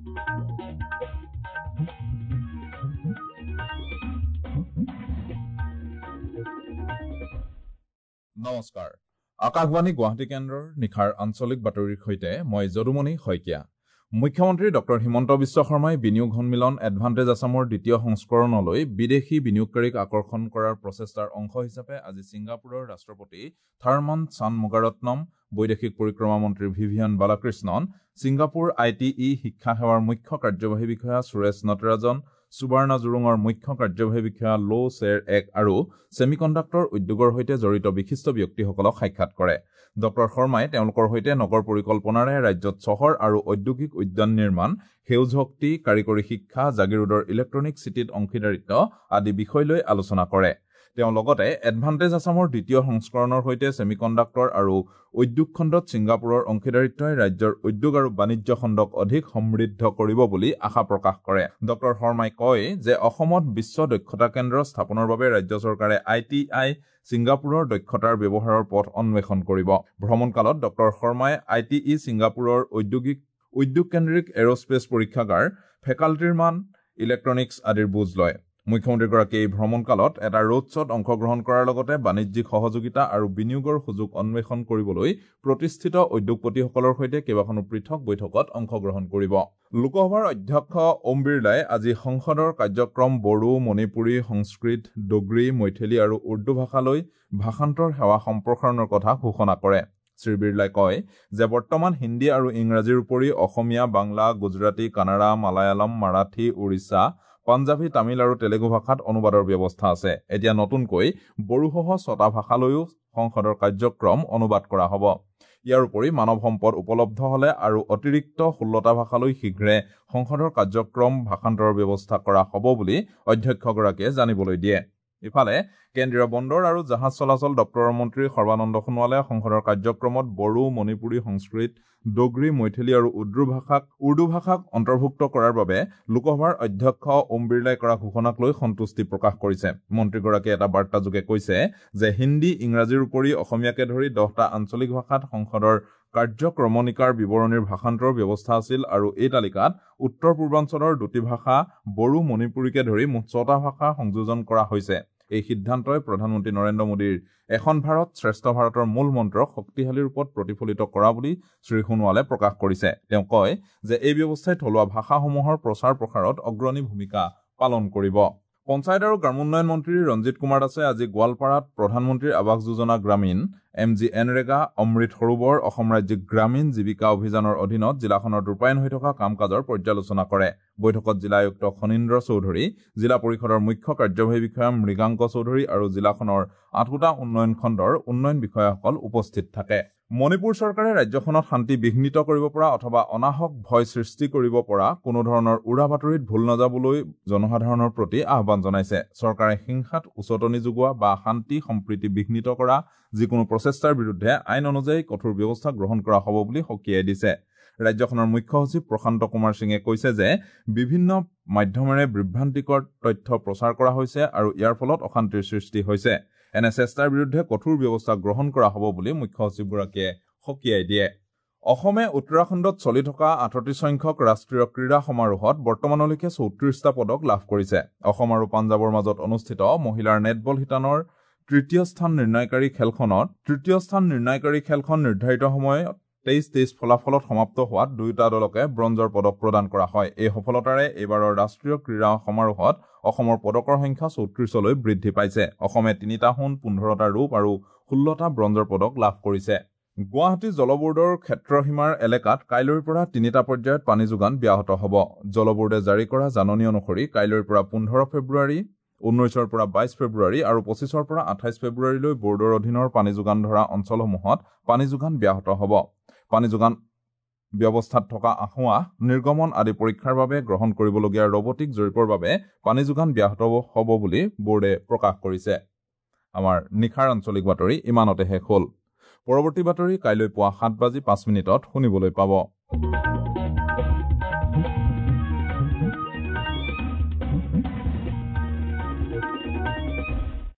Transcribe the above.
নমস্কাৰ, আকাশবাণী গুৱাহাটী কেন্দ্ৰৰ নিশাৰ আঞ্চলিক বাতৰিৰ সৈতে মই যদুমণি শইকীয়া। মুখ্যমন্ত্ৰী ডক্টৰ হিমন্ত বিশ্ব শৰ্মাই বিনিয়োগ সন্মিলন এডভান্টেজ আছামৰ দ্বিতীয় সংস্কৰণলৈ বিদেশী বিনিয়োগকাৰীক আকৰ্ষণ কৰাৰ প্ৰচেষ্টাৰ অংশ হিচাপে আজি ছিংগাপুৰৰ ৰাষ্ট্ৰপতি থাৰমন চানমুগাৰত্নম, বৈদেশিক পৰিক্ৰমা মন্ত্ৰী Vivian Balakrishnan, Singapore I T E শিক্ষা সেৱাৰ মুখ্য কাৰ্যবাহী বিষয়া সুৰেশ নটৰাজন, সুবৰ্ণা জুৰুঙৰ মুখ্য কাৰ্যবাহী বিষয়া লো চেৰ এক আৰু ছেমিকণ্ডাক্টৰ উদ্যোগৰ সৈতে জড়িত বিশিষ্ট ব্যক্তিসকলক সাক্ষাৎ কৰে। ডক্টৰ শৰ্মাই তেওঁলোকৰ সৈতে নগৰ পৰিকল্পনাৰে ৰাজ্যত চহৰ আৰু ঔদ্যোগিক উদ্যান নিৰ্মাণ, সেউজ শক্তি, কাৰিকৰী শিক্ষা, জাগিৰোডৰ ইলেক্ট্ৰনিক চিটিত অংশীদাৰিত্ব আদি বিষয় লৈ আলোচনা কৰে। তেওঁ লগতে এডভান্টেজ আছামৰ দ্বিতীয় সংস্কৰণৰ সৈতে ছেমিকণ্ডাক্টৰ আৰু উদ্যোগ খণ্ডত ছিংগাপুৰৰ অংশীদাৰিত্বই ৰাজ্যৰ উদ্যোগ আৰু বাণিজ্য খণ্ডক অধিক সমৃদ্ধ কৰিব বুলি আশা প্ৰকাশ কৰে। ডক্টৰ শৰ্মাই কয় যে অসমত বিশ্ব দক্ষতা কেন্দ্ৰ স্থাপনৰ বাবে ৰাজ্য চৰকাৰে I T I ছিংগাপুৰৰ দক্ষতাৰ ব্যৱহাৰৰ পথ অন্বেষণ কৰিব। ভ্ৰমণকালত ডক্টৰ শৰ্মাই I T ই ছিংগাপুৰৰ উদ্যোগকেন্দ্ৰিক এৰ'স্পেচ পৰীক্ষাগাৰ, ফেকাল্টিৰ মান, ইলেক্ট্ৰনিক্স আদিৰ বুজ লয়। মুখ্যমন্ত্ৰীগৰাকীয়ে এই ভ্ৰমণকালত এটা ৰোড শ্ব'ত অংশগ্ৰহণ কৰাৰ লগতে বাণিজ্যিক সহযোগিতা আৰু বিনিয়োগৰ সুযোগ অন্বেষণ কৰিবলৈ প্ৰতিষ্ঠিত উদ্যোগপতিসকলৰ সৈতে কেইবাখনো পৃথক বৈঠকত অংশগ্ৰহণ কৰিব। লোকসভাৰ অধ্যক্ষ ওম বিৰলাই আজি সংসদৰ কাৰ্যক্ৰম বড়ো, মণিপুৰী, সংস্কৃত, ডোগ্ৰী, মৈথিলী আৰু উৰ্দু ভাষালৈ ভাষান্তৰ সেৱা সম্প্ৰসাৰণৰ কথা ঘোষণা কৰে। শ্ৰী বিৰলাই কয় যে বৰ্তমান হিন্দী আৰু ইংৰাজীৰ উপৰি অসমীয়া, বাংলা, গুজৰাটী, কানাড়া, মালায়ালম, মাৰাঠী, উৰিষ্যা, পাঞ্জাবী, তামিল আৰু তেলেগু ভাষাত অনুবাদৰ ব্যৱস্থা আছে। এতিয়া নতুনকৈ বড়োসহ 6টা ভাষালৈও সংসদৰ কাৰ্যক্ৰম অনুবাদ কৰা হ'ব। ইয়াৰ উপৰি মানৱ সম্পদ উপলব্ধ হ'লে আৰু অতিৰিক্ত 16টা ভাষালৈ শীঘ্ৰে সংসদৰ কাৰ্যক্ৰম ভাষান্তৰৰ ব্যৱস্থা কৰা হ'ব বুলি অধ্যক্ষগৰাকীয়ে জানিবলৈ দিয়ে। ইফালে কেন্দ্ৰীয় বন্দৰ আৰু জাহাজ চলাচল দপ্তৰৰ মন্ত্ৰী সৰ্বানন্দ সোণোৱালে সংসদৰ কাৰ্যক্ৰমত বড়ো, মণিপুৰী, সংস্কৃত, ডোগ্ৰী, মৈথিলী আৰু উৰ্দু ভাষাক অন্তৰ্ভুক্ত কৰাৰ বাবে লোকসভাৰ অধ্যক্ষ ওম বিৰলাই কৰা ঘোষণাক লৈ সন্তুষ্টি প্ৰকাশ কৰিছে। মন্ত্ৰীগৰাকীয়ে এটা বাৰ্তাযোগে কৈছে যে হিন্দী, ইংৰাজীৰ উপৰি অসমীয়াকে ধৰি 10টা আঞ্চলিক ভাষাত সংসদৰ কাৰ্যক্ৰমণিকাৰ বিৱৰণীৰ ভাষান্তৰৰ ব্যৱস্থা আছিল আৰু এই তালিকাত উত্তৰ পূৰ্বাঞ্চলৰ 2টি ভাষা বড়ো, মণিপুৰীকে ধৰি মুঠ 6টা ভাষা সংযোজন কৰা হৈছে। এই সিদ্ধান্তই প্ৰধানমন্ত্ৰী নৰেন্দ্ৰ মোদীৰ এখন ভাৰত শ্ৰেষ্ঠ ভাৰতৰ মূল মন্ত্ৰক শক্তিশালী ৰূপত প্ৰতিফলিত কৰা বুলি শ্ৰী সোণোৱালে প্ৰকাশ কৰিছে। তেওঁ কয় যে এই ব্যৱস্থাই থলুৱা ভাষাসমূহৰ প্ৰচাৰ প্ৰসাৰত অগ্ৰণী ভূমিকা পালন কৰিব। পঞ্চায়ত আৰু গ্ৰামোন্নয়ন মন্ত্ৰী ৰঞ্জিত কুমাৰ দাসে আজি গোৱালপাৰাত প্ৰধানমন্ত্ৰীৰ Awas Yojana Gramin, M G NREGA, Amrit Sarovar, Assam ৰাজ্যিক গ্ৰামীণ জীৱিকা অভিযানৰ অধীনত জিলাখনত ৰূপায়ণ হৈ থকা কাম কাজৰ পৰ্যালোচনা কৰে। বৈঠকত জিলা আয়ুক্ত খনীন্দ্ৰ চৌধুৰী, জিলা পৰিষদৰ মুখ্য কাৰ্যবাহী বিষয়া মৃগাংক চৌধুৰী আৰু জিলাখনৰ 8টা উন্নয়ন খণ্ডৰ উন্নয়ন বিষয়াসকল উপস্থিত থাকে। মণিপুৰ চৰকাৰে ৰাজ্যখনত শান্তি বিঘ্নিত কৰিব পৰা অথবা অনাহক ভয় সৃষ্টি কৰিব পৰা কোনো ধৰণৰ উৰা বাতৰিত ভুল নাযাবলৈ জনসাধাৰণৰ প্ৰতি আহ্বান জনাইছে। চৰকাৰে হিংসাত উচটনি যোগোৱা বা শান্তি সম্প্ৰীতি বিঘ্নিত কৰা যিকোনো প্ৰচেষ্টাৰ বিৰুদ্ধে আইন অনুযায়ী কঠোৰ ব্যৱস্থা গ্ৰহণ কৰা হ'ব বুলি সকীয়াই দিছে। ৰাজ্যখনৰ মুখ্য সচিব প্ৰশান্ত কুমাৰ সিঙে কৈছে যে বিভিন্ন মাধ্যমেৰে বিভ্ৰান্তিকৰ তথ্য প্ৰচাৰ কৰা হৈছে আৰু ইয়াৰ ফলত অশান্তিৰ সৃষ্টি হৈছে। এনে চেষ্টাৰ বিৰুদ্ধে কঠোৰ ব্যৱস্থা গ্ৰহণ কৰা হ'ব বুলি মুখ্য সচিবগৰাকীয়ে সকীয়াই দিয়ে। অসমে উত্তৰাখণ্ডত চলি থকা 38 সংখ্যক ৰাষ্ট্ৰীয় ক্ৰীড়া সমাৰোহত বৰ্তমানলৈকে 34টা পদক লাভ কৰিছে। অসম আৰু পাঞ্জাৱৰ মাজত অনুষ্ঠিত মহিলাৰ নেটবল শিতানৰ তৃতীয় স্থান নিৰ্ণয়কাৰী খেলখন নিৰ্ধাৰিত সময়ত 23-23 ফলাফলত সমাপ্ত হোৱাত দুয়োটা দলকে ব্ৰঞ্জৰ পদক প্ৰদান কৰা হয়। এই সফলতাৰে এইবাৰৰ ৰাষ্ট্ৰীয় ক্ৰীড়া সমাৰোহত অসমৰ পদকৰ সংখ্যা 34লৈ বৃদ্ধি পাইছে। অসমে 3টা সোণ, 15টা ৰূপ আৰু 16টা ব্ৰঞ্জৰ পদক লাভ কৰিছে। গুৱাহাটী জলবোৰ্ডৰ ক্ষেত্ৰসীমাৰ এলেকাত কাইলৈৰ পৰা 3টা পৰ্যায়ত পানী যোগান ব্যাহত হ'ব। জলবোৰ্ডে জাৰি কৰা জাননী অনুসৰি কাইলৈৰ পৰা 15 ফেব্ৰুৱাৰী, 19ৰ পৰা 22 ফেব্ৰুৱাৰী আৰু 25ৰ পৰা 28 ফেব্ৰুৱাৰীলৈ বোৰ্ডৰ অধীনৰ পানী যোগান ধৰা অঞ্চলসমূহত পানী যোগান ব্যাহত হ'ব। পানী যোগান ব্যৱস্থাত থকা আসোঁৱাহ, নিৰ্গমন আদি পৰীক্ষাৰ বাবে গ্ৰহণ কৰিবলগীয়া ৰবটিক জৰীপৰ বাবে পানী যোগান ব্যাহত হ'ব বুলি বোৰ্ডে প্ৰকাশ কৰিছে। আমাৰ নিশাৰ আঞ্চলিক বাতৰি ইমানতে শেষ হ'ল। পৰৱৰ্তী বাতৰি কাইলৈ পুৱা 7:05 শুনিবলৈ পাব।